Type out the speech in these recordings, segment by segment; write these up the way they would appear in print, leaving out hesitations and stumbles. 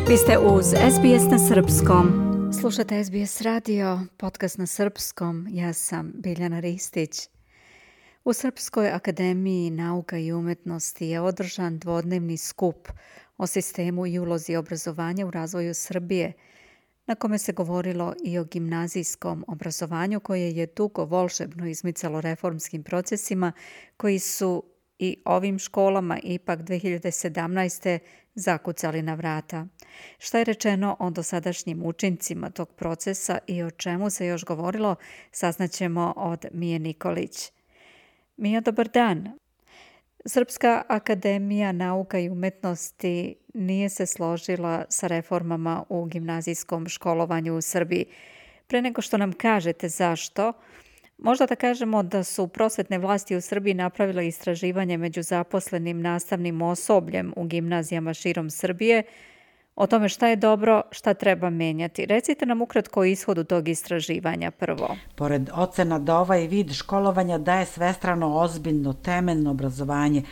Vi ste uz SBS na Srpskom. Slušate SBS radio, podcast na Srpskom. Ja sam Biljana Ristić. U Srpskoj akademiji nauka i umetnosti je održan dvodnevni skup o sistemu i ulozi obrazovanja u razvoju Srbije, na kome se govorilo i o gimnazijskom obrazovanju koje je dugo volšebno izmicalo reformskim procesima koji su i ovim školama ipak 2017. zakucali na vrata. Šta je rečeno o dosadašnjim učincima tog procesa i o čemu se još govorilo, saznaćemo od Mije Nikolić. Mija, dobar dan. Srpska akademija nauka i umetnosti nije se složila sa reformama u gimnazijskom školovanju u Srbiji. Pre nego što nam kažete zašto, možda da kažemo da su prosvetne vlasti u Srbiji napravile istraživanje među zaposlenim nastavnim osobljem u gimnazijama širom Srbije o tome šta je dobro, šta treba menjati. Recite nam ukratko o ishodu tog istraživanja prvo. Pored ocena da ovaj vid školovanja daje svestrano ozbiljno temeljno obrazovanje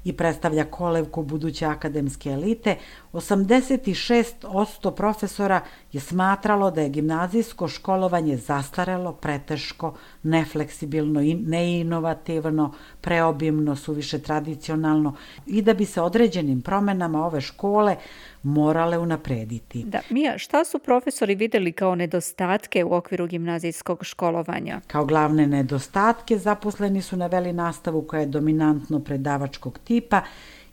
i predstavlja kolevku buduće akademske elite, 86% profesora je smatralo da je gimnazijsko školovanje zastarelo, preteško, nefleksibilno i neinovativno, preobimno, suviše tradicionalno i da bi se određenim promenama ove škole morale unaprediti. Da, Mija, šta su profesori videli kao nedostatke u okviru gimnazijskog školovanja? Kao glavne nedostatke zaposleni su naveli nastavu koja je dominantno predavačkog tipa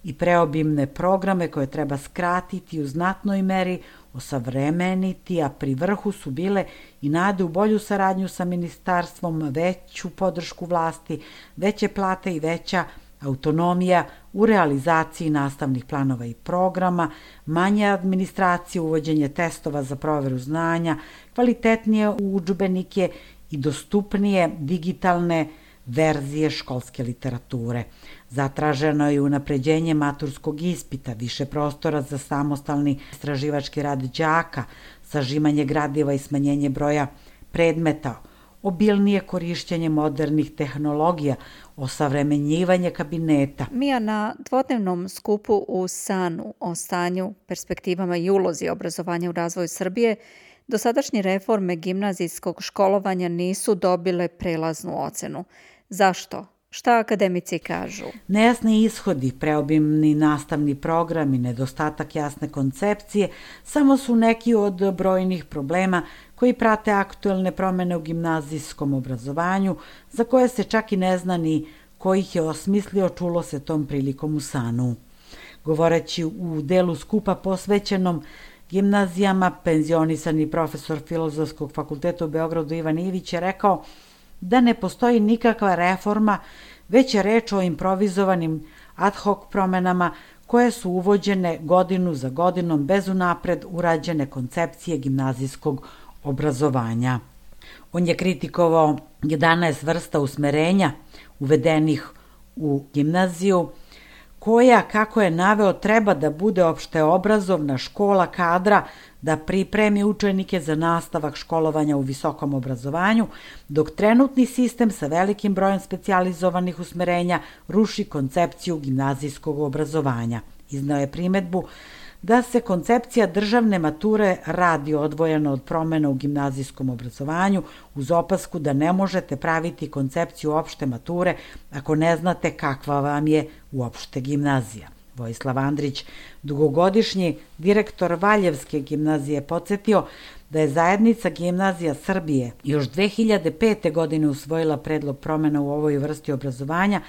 i preobimne programe koje treba skratiti u znatnoj meri, osavremeniti, a pri vrhu su bile i nade u bolju saradnju sa ministarstvom, veću podršku vlasti, veće plate i veća autonomija u realizaciji nastavnih planova i programa, manje administracije, uvođenje testova za proveru znanja, kvalitetnije udžbenike i dostupnije digitalne verzije školske literature. Zatraženo je unapređenje maturskog ispita, više prostora za samostalni istraživački rad đaka, sažimanje gradiva i smanjenje broja predmeta, obilnije korišćenje modernih tehnologija, osavremenjivanje kabineta. Mija, na dvodnevnom skupu u SANU o stanju, perspektivama i ulozi obrazovanja u razvoju Srbije, dosadašnje reforme gimnazijskog školovanja nisu dobile prelaznu ocenu. Zašto? Šta akademici kažu? Nejasni ishodi, preobimni nastavni program i nedostatak jasne koncepcije samo su neki od brojnih problema koji prate aktuelne promene u gimnazijskom obrazovanju, za koje se čak i ne zna ni ko ih je osmislio, čulo se tom prilikom u SANU. Govoreći u delu skupa posvećenom gimnazijama, penzionisani profesor Filozofskog fakulteta u Beogradu Ivan Ivić je rekao da ne postoji nikakva reforma, već je reč o improvizovanim ad hoc promenama koje su uvođene godinu za godinom bez unapred urađene koncepcije gimnazijskog obrazovanja. On je kritikovao 11 vrsta usmerenja uvedenih u gimnaziju, koja, kako je naveo, treba da bude opšteobrazovna škola kadra da pripremi učenike za nastavak školovanja u visokom obrazovanju, dok trenutni sistem sa velikim brojem specijalizovanih usmerenja ruši koncepciju gimnazijskog obrazovanja. Izneo je primedbu da se koncepcija državne mature radi odvojeno od promena u gimnazijskom obrazovanju, uz opasku da ne možete praviti koncepciju opšte mature ako ne znate kakva vam je uopšte gimnazija. Vojislav Andrić, dugogodišnji direktor Valjevske gimnazije, podsjetio da je zajednica gimnazija Srbije još 2005. godine usvojila predlog promena u ovoj vrsti obrazovanja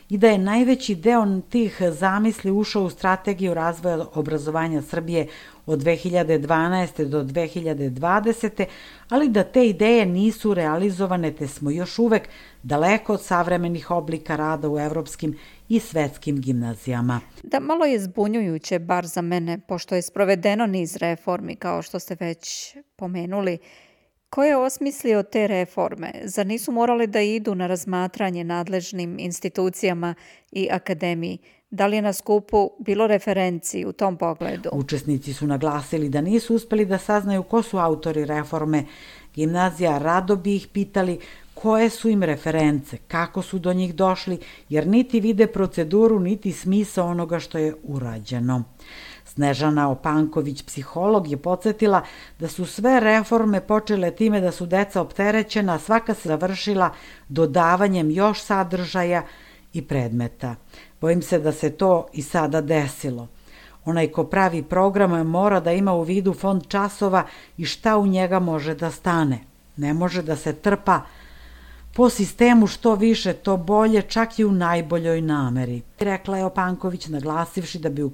i da je najveći deo tih zamisli ušao u strategiju razvoja obrazovanja Srbije od 2012. do 2020. ali da te ideje nisu realizovane, te smo još uvek daleko od savremenih oblika rada u evropskim i svetskim gimnazijama. Da, malo je zbunjujuće, bar za mene, pošto je sprovedeno niz reformi, kao što ste već pomenuli. Ko je osmislio te reforme? Zar nisu morali da idu na razmatranje nadležnim institucijama i akademiji? Da li je na skupu bilo referenci u tom pogledu? Učesnici su naglasili da nisu uspeli da saznaju ko su autori reforme gimnazija, rado bi ih pitali koje su im reference, kako su do njih došli, jer niti vide proceduru, niti smisao onoga što je urađeno. S Snežana Opanković, psiholog, je podsjetila da su sve reforme počele time da su deca opterećena, a svaka se završila dodavanjem još sadržaja i predmeta. Bojim se da se to i sada desilo. Onaj ko pravi program mora da ima u vidu fond časova i šta u njega može da stane. Ne može da se trpa po sistemu što više, to bolje, čak i u najboljoj nameri, rekla je Opanković, naglasivši da bi u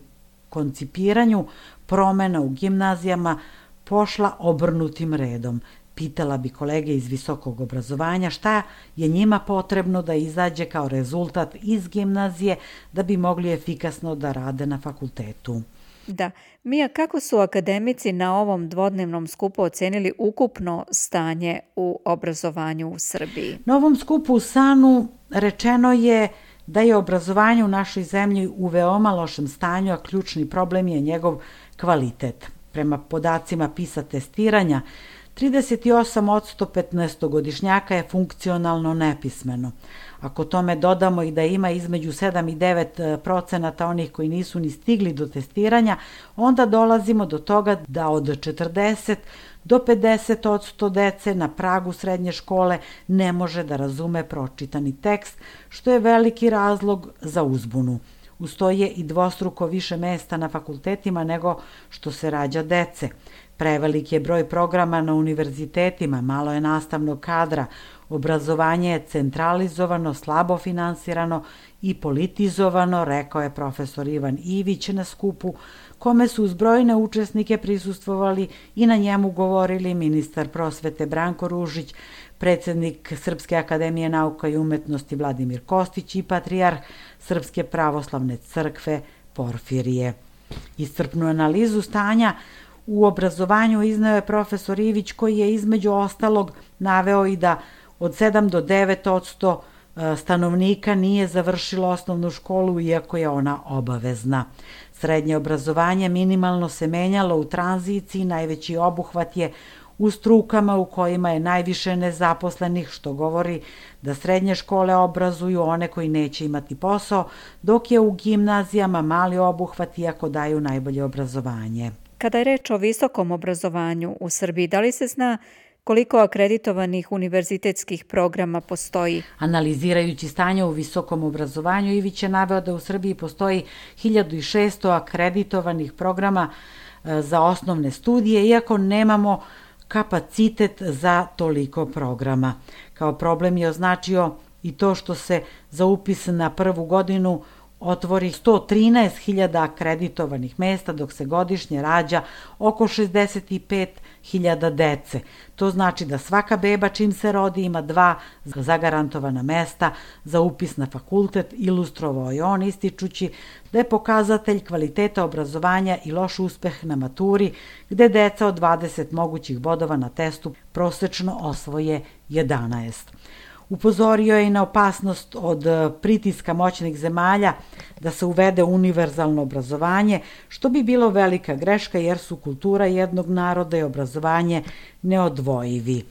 koncipiranju promena u gimnazijama pošla obrnutim redom. Pitala bi kolege iz visokog obrazovanja šta je njima potrebno da izađe kao rezultat iz gimnazije da bi mogli efikasno da rade na fakultetu. Da. Mija, kako su akademici na ovom dvodnevnom skupu ocenili ukupno stanje u obrazovanju u Srbiji? Na ovom skupu u SANU rečeno je da je obrazovanje u našoj zemlji u veoma lošem stanju, a ključni problem je njegov kvalitet. Prema podacima PISA testiranja, 38% 15-godišnjaka je funkcionalno nepismeno. Ako tome dodamo i da ima između 7 i 9% onih koji nisu ni stigli do testiranja, onda dolazimo do toga da od 40 do 50% dece na pragu srednje škole ne može da razume pročitani tekst, što je veliki razlog za uzbunu. Uz to je i dvostruko više mesta na fakultetima nego što se rađa dece. Prevelik je broj programa na univerzitetima, malo je nastavnog kadra, obrazovanje je centralizovano, slabo finansirano i politizovano, rekao je profesor Ivan Ivić na skupu, kome su uz brojne učesnike prisustvovali i na njemu govorili ministar prosvete Branko Ružić, predsednik Srpske akademije nauka i umetnosti Vladimir Kostić i patrijarh Srpske pravoslavne crkve Porfirije. Iscrpnu analizu stanja u obrazovanju izneo je profesor Ivić, koji je između ostalog naveo i da od 7 do 9% stanovnika nije završilo osnovnu školu, iako je ona obavezna. Srednje obrazovanje minimalno se menjalo u tranziciji, najveći obuhvat je u strukama u kojima je najviše nezaposlenih, što govori da srednje škole obrazuju one koji neće imati posao, dok je u gimnazijama mali obuhvat, iako daju najbolje obrazovanje. Kada je reč o visokom obrazovanju u Srbiji, da li se zna koliko akreditovanih univerzitetskih programa postoji? Analizirajući stanje u visokom obrazovanju, Ivić je naveo da u Srbiji postoji 1600 akreditovanih programa za osnovne studije, iako nemamo kapacitet za toliko programa. Kao problem je označio i to što se za upis na prvu godinu otvori 113.000 akreditovanih mesta, dok se godišnje rađa oko 65.000 dece. To znači da svaka beba čim se rodi ima 2 zagarantovana mesta za upis na fakultet, ilustrovao je on, ističući da je pokazatelj kvaliteta obrazovanja i loš uspeh na maturi, gde deca od 20 mogućih bodova na testu prosečno osvoje 11. Upozorio je i na opasnost od pritiska moćnih zemalja da se uvede univerzalno obrazovanje, što bi bilo velika greška jer su kultura jednog naroda i obrazovanje neodvojivi.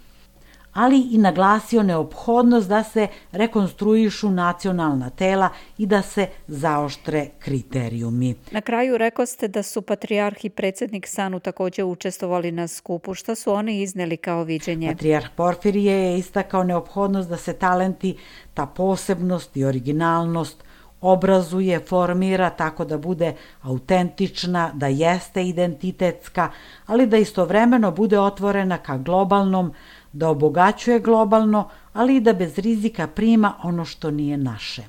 Ali i naglasio neophodnost da se rekonstruišu nacionalna tela i da se zaoštre kriterijumi. Na kraju rekao ste da su patrijarh i predsednik SANU također učestvovali na skupu. Šta su oni izneli kao viđenje? Patrijarh Porfirije je istakao neophodnost da se talenti, ta posebnost i originalnost obrazuje, formira tako da bude autentična, da jeste identitetska, ali da istovremeno bude otvorena ka globalnom, da obogaćuje globalno, ali i da bez rizika prima ono što nije naše.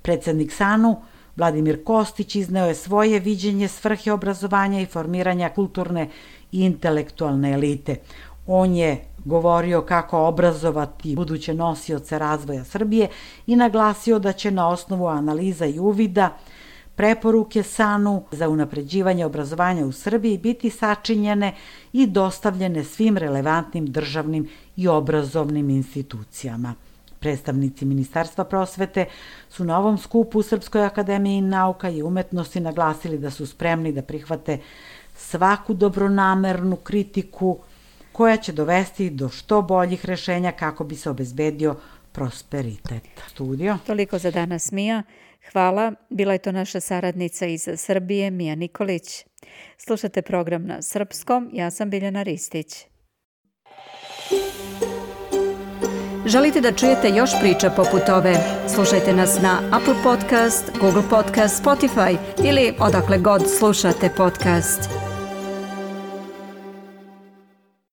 Predsednik SANU, Vladimir Kostić, izneo je svoje viđenje svrhe obrazovanja i formiranja kulturne i intelektualne elite. On je govorio kako obrazovati buduće nosioce razvoja Srbije i naglasio da će na osnovu analiza i uvida preporuke SANU za unapređivanje obrazovanja u Srbiji biti sačinjene i dostavljene svim relevantnim državnim i obrazovnim institucijama. Predstavnici Ministarstva prosvete su na ovom skupu u Srpskoj akademiji nauka i umetnosti naglasili da su spremni da prihvate svaku dobronamernu kritiku koja će dovesti do što boljih rešenja kako bi se obezbedio prosperitet. Studio. Toliko za danas, Mija. Hvala, bila je to naša saradnica iz Srbije, Mija Nikolić. Slušate program na srpskom, ja sam Biljana Ristić. Želite da čujete još priča poput ove? Slušajte nas na Apple Podcast, Google Podcast, Spotify ili odakle god slušate podcast.